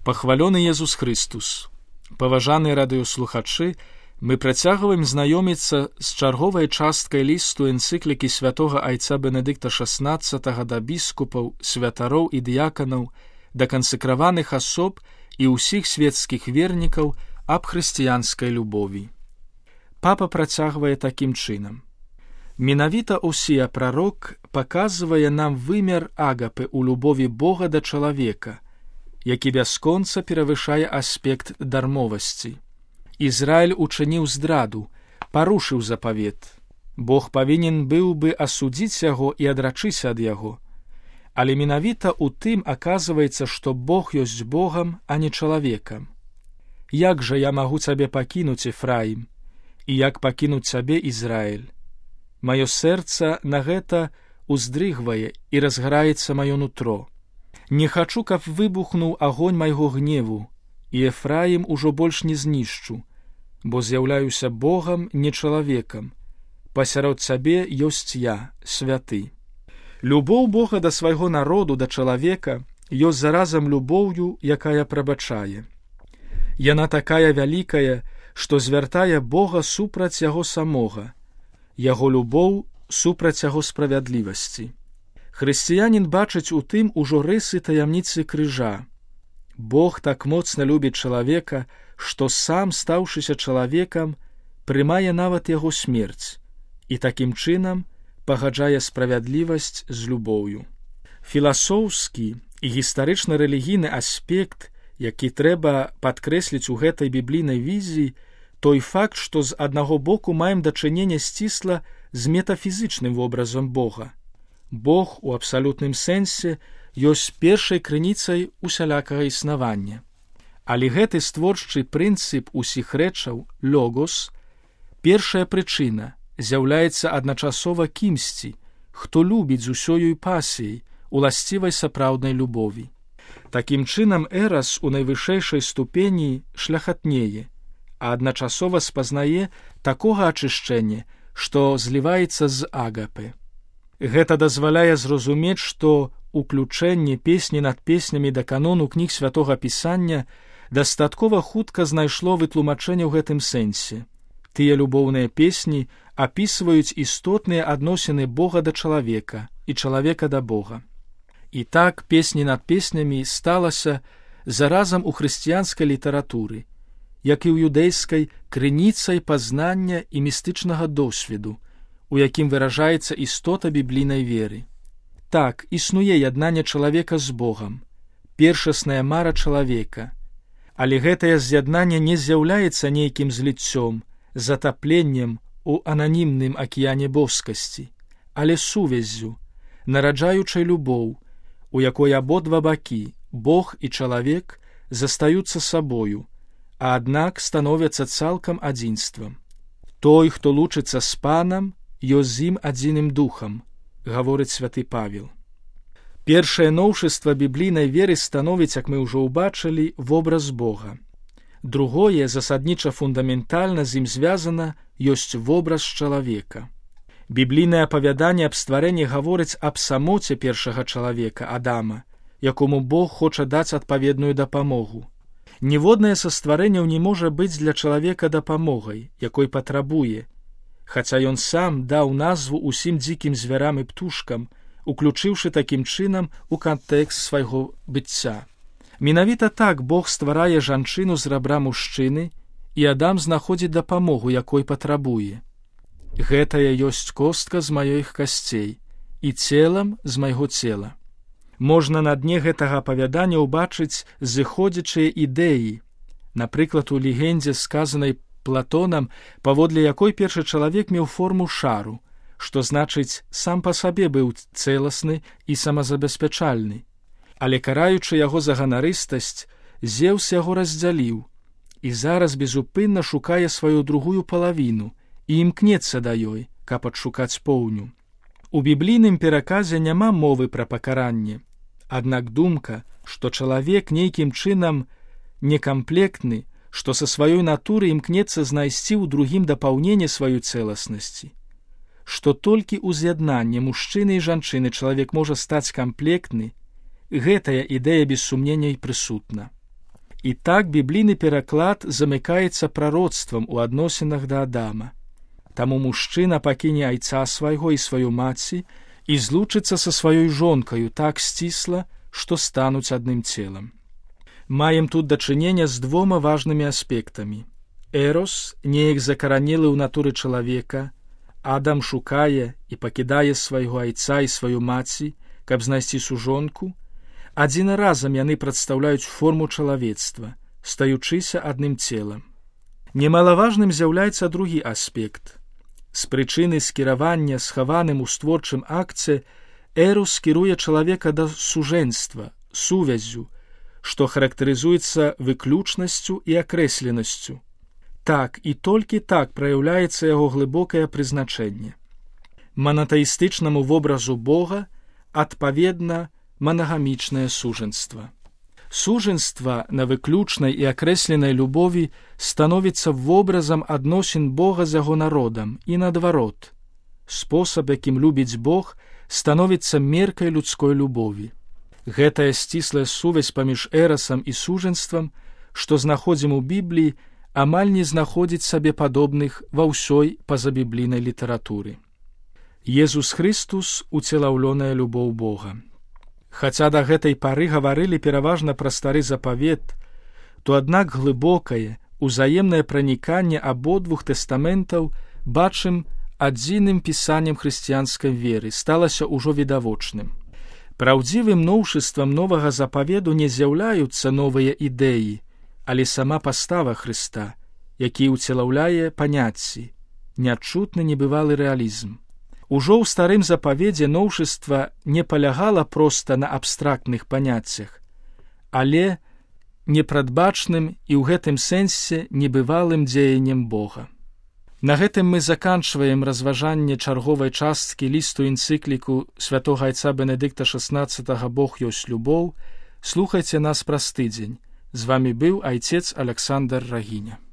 Пахвалёны Езус Христус! Паважаныя радыёслухачы, мы працягваем знаёміцца з чарговай часткай лісту энцыклікі святога айца Бенедыкта XVI да біскупаў, святароў і дыяканаў, да кансекраваных асоб і ўсіх светскіх вернікаў аб хрысціянскай любові. Папа працягвае такім чынам. Менавіта Осія прарок паказвае нам вымер агапы ў любові Бога да чалавека, які бясконца перавышае аспект дармовасці. Ізраіль учыніў здраду, парушыў запавет. Бог павінен быў бы асудзіць яго і адрачыся ад яго. Але менавіта ў тым аказваецца, што Бог ёсць Богам, а не чалавекам. Як жа я магу цябе пакінуць, Ефраім, і як пакінуць цябе, Ізраіль? Маё сэрца на гэта уздрыгвае і разгараецца маё нутро. Не хачу, каб выбухнуў агонь майго гневу, і Ефраім ужо больш не знішчу, бо з'яўляюся Богам, не чалавекам. Пасярод цябе ёсць я, святы. Любоў Бога да свайго народу, да чалавека, ёсць заразам любоўю, якая прабачае. Яна такая вялікая, што звяртае Бога супраць яго самога, яго любоў супраць яго справядлівасці. Хрысціянін бачыць у тым ужо рысы таямніцы крыжа. Бог так моцна любіць чалавека, што сам, стаўшыся чалавекам, прымае нават яго смерць і такім чынам пагаджае справядлівасць з любоўю. Філасофскі і гістарычна-рэлігійны аспект, які трэба падкрэсліць у гэтай біблійнай візіі, той факт, што з аднаго боку маем дачыненне сцісла з метафізычным вобразам Бога. Бог у абсалютным сэнсе ёсць першай крыніцай усялякага існавання. Але гэты створчы прынцып усіх рэчаў, логос, першая прычына, з'яўляецца адначасова кімсьці, хто любіць з усёю пасіяй, уласцівай сапраўднай любові. Такім чынам эрас у найвышэйшай ступені шляхатнее, а адначасова спазнае такога ачышчэння, што зліваецца з агапы. Гэта дазваляе зразумець, што уключэнне песні над песнямі да канону кніг святога Пісання дастаткова хутка знайшло вытлумачэнне ў гэтым сэнсе. Тыя любоўныя песні апісваюць істотныя адносіны Бога да чалавека і чалавека да Бога. І так песні над песнямі сталася заразам у хрысціянскай літаратуры, як і ў юдэйскай, крыніцай пазнання і містычнага досведу, у якім выражаецца істота біблійнай веры. Так, існуе яднанне чалавека з Богам, першасная мара чалавека, але гэтае з'яднанне не з'яўляецца нейкім зліццём, затапленнем у ананімным акіяне боскасці, але сувяззю, нараджаючай любоў, у якой абодва бакі, Бог і чалавек, застаюцца сабою, а аднак становяцца цалкам адзінствам. Той, хто лучыцца з Панам, ёсць з ім адзіным духам, гаворыць святы Павел. Першае новшыства біблійнай веры становіць, як мы ўжо ўбачылі, вобраз Бога. Другое, засадніча фундаментальна з ім звязана, ёсць вобраз чалавека. Біблійнае апавяданне аб стварэнні гаворыць аб самоце першага чалавека, Адама, якому Бог хоча даць адпаведную дапамогу. Ніводнае са стварэнняў не можа быць для чалавека дапамогай, якой патрабуе, хаця ён сам даў назву ўсім дзікім звярам і птушкам, уключыўшы такім чынам у кантэкст свайго быцця. Менавіта так Бог стварае жанчыну з рабра мужчыны, і Адам знаходзіць дапамогу, якой патрабуе. Гэтая ёсць костка з маёіх касцей і целам з майго цела. Можна на дне гэтага апавядання ўбачыць зыходзячыя ідэі, напрыклад, у легендзе, сказанай Платонам, паводле якой першы чалавек меў форму шару, што значыць, сам па сабе быў цэласны і самазабеспячальны. Але караючы яго за ганарыстасць, Зеўс яго раздзяліў і зараз безупынна шукае сваю другую палавіну і імкнецца да ёй, каб адшукаць поўню. У біблійным пераказе няма мовы пра пакаранне, аднак думка, што чалавек нейкім чынам некамплектны, што са сваёй натуры імкнецца знайсці ў другім дапаўненне сваёй цэласнасці, што толькі ў з'яднанні мужчыны і жанчыны чалавек можа стаць камплектны, гэтая ідэя без сумнення і прысутна. І так біблійны пераклад замыкаецца прароцтвам у адносінах да Адама. Таму мужчына пакіне айца свайго і сваю маці і злучыцца са сваёй жонкаю так сцісла, што стануць адным целам. Маем тут дачынення з двома важнымі аспектамі. Эрос неяк закаранелы ў натуры чалавека, Адам шукае і пакідае свайго айца і сваю маці, каб знайсці сужонку. Адзін разам яны прадстаўляюць форму чалавецтва, стаючыся адным целам. Немалаважным з'яўляецца другі аспект. З прычыны скіравання схаваным у створчым акце Эрос кіруе чалавека да сужэнства, сувязю, што характарызуецца выключнасцю і акрэсленасцю. Так і толькі так праяўляецца яго глыбокае прызначэнне. Манатэістычнаму вобразу Бога адпаведна манагамічнае сужэнства. Сужэнства на выключнай і акрэсленай любові становіцца вобразам адносін Бога з яго народам і наадварот. Спосаб, якім любіць Бог, становіцца меркай людской любові. Гэтая сціслая сувязь паміж эрасам і сужэнствам, што знаходзім у Бібліі, амаль не знаходзіць сабе падобных ва ўсёй пазабіблійнай літаратуры. Езус Хрыстус — уцелаўлёная любоў Бога. Хаця да гэтай пары гаварылі пераважна пра стары запавет, то аднак глыбокае, узаемнае праніканне абодвух тэстаментаў бачым адзіным пісаннем хрысціянскай веры сталася ўжо відавочным. Праўдзівым новшыствам новага запаведу не з'яўляюцца новыя ідэі, але сама пастава Хрыста, які ўцелаўляе паняцці, нячутны небывалы рэалізм. Ужо ў старым запаведзе новшыства не палягала проста на абстрактных паняццях, але непрадбачным і ў гэтым сэнсе небывалым дзеяннем Бога. На гэтым мы заканчваем разважанне чарговай часткі лісту энцыкліку святога айца Бенедыкта XVI «Бог ёсць любоў». Слухайце нас праз тыдзень. З вамі быў айцец Александр Рагіня.